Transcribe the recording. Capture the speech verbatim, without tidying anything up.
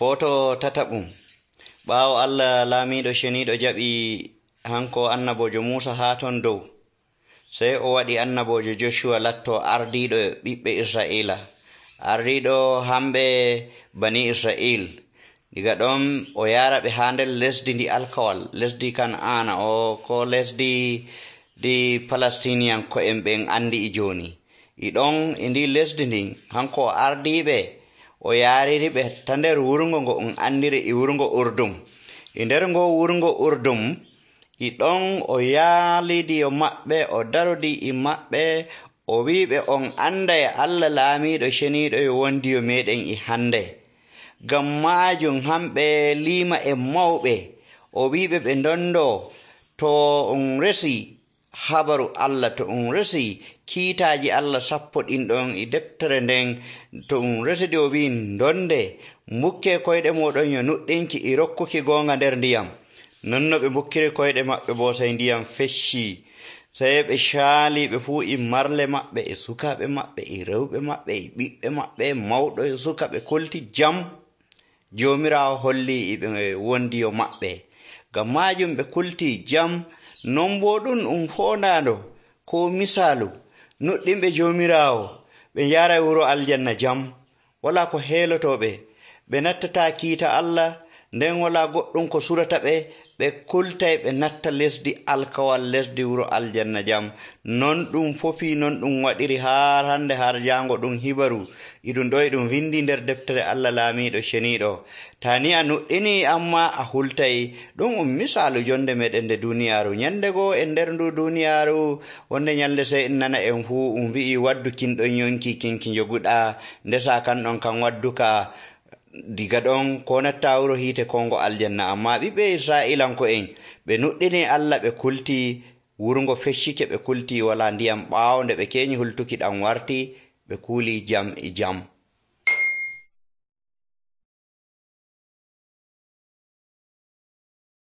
Foto tataɓum. Ɓaawo Allah laamiiɗo ceniiɗo jaɓi hanko annabojo Muusa haa ton dow, sey o waɗi annabojo Joshua latto ardiiɗo ɓiɓɓe Israa'iila, ardiiɗo hamɓe bani Israa'il. Diga ɗon o yaara ɓe haa nder lesdi ndi alkawal, lesdi Kan'aana o ko lesdi ɗi Palestiniyanko'en ɓen andi e jooni. E ɗon e ndi lesdi ndin hanko o ardiiɓe o yaariri ɓe ta nder wurngo ngo on andiri e wurngo Urdum. E nder ngo wurngo Urdum e ɗon o yaalidiyo maɓɓe, o darodi e maɓɓe, o wiiɓe on anda e Allah laamiiɗo ceniiɗo yo wondiyo meɗen e hande. Ngam maajum hamɓe liima e mawɓe o wiiɓe ɓe ndondo to on resi habaru Allah, to on resi kiitaaji Allah sappo ɗin ɗon e deftere nden, to on residi o wi'i ndonde mbukke koyɗe moɗon yo nuɗɗinki e rokkuki goonga nder ndiyam. Non no ɓe mbukkiri koyɗe maɓɓe boo sey ndiyam fecci, sey ɓe caali ɓe fuu e marle maɓɓe e sukaaɓe maɓɓe e rewɓe maɓɓe e ɓiɓɓe maɓɓe mawɗo e suka ɓe kulti jam. Joomiraawo holli e ɓe wondiyo maɓɓe, ngam maajum ɓe kulti jam. Non boo ɗum um foondaando ko misaalu nuɗɗinɓe Joomiraawo ɓe njara wuro aljanna jam, walaa ko heelotooɓe, ɓe nattataa kiita Allah, nden walaa goɗɗum ko surata ɓe, ɓe kultay ɓe natta lesdi alkawal, lesdi wuro aljanna jam. Non ɗum fofi, non ɗum waɗiri haa hande har jaango ɗum hibaru e ɗum ɗo e ɗum windi nder deftere Allah laamiiɗo ceniiɗo. Ta ni a nuɗɗini amma a hultay, ɗum um misaalu jonde meɗen nde duniyaaru. Nyande goo e nder ndu duniyaaru wonde nyalde sey en nana en fuu um wi'i waddu kinɗon yonki kinki njoguɗaa, ndesa kan ɗon kan wadduka. Diga ɗon ko natta wuro hiite kongo aljanna. Amma ɓiɓɓe Israa'ilanko'en ɓe nuɗɗini Allah, ɓe kulti wurngo feccike, ɓe kulti wala ndiyam ɓaawo nde ɓe keñi hultuki ɗam warti, ɓe kuuli jam e jam.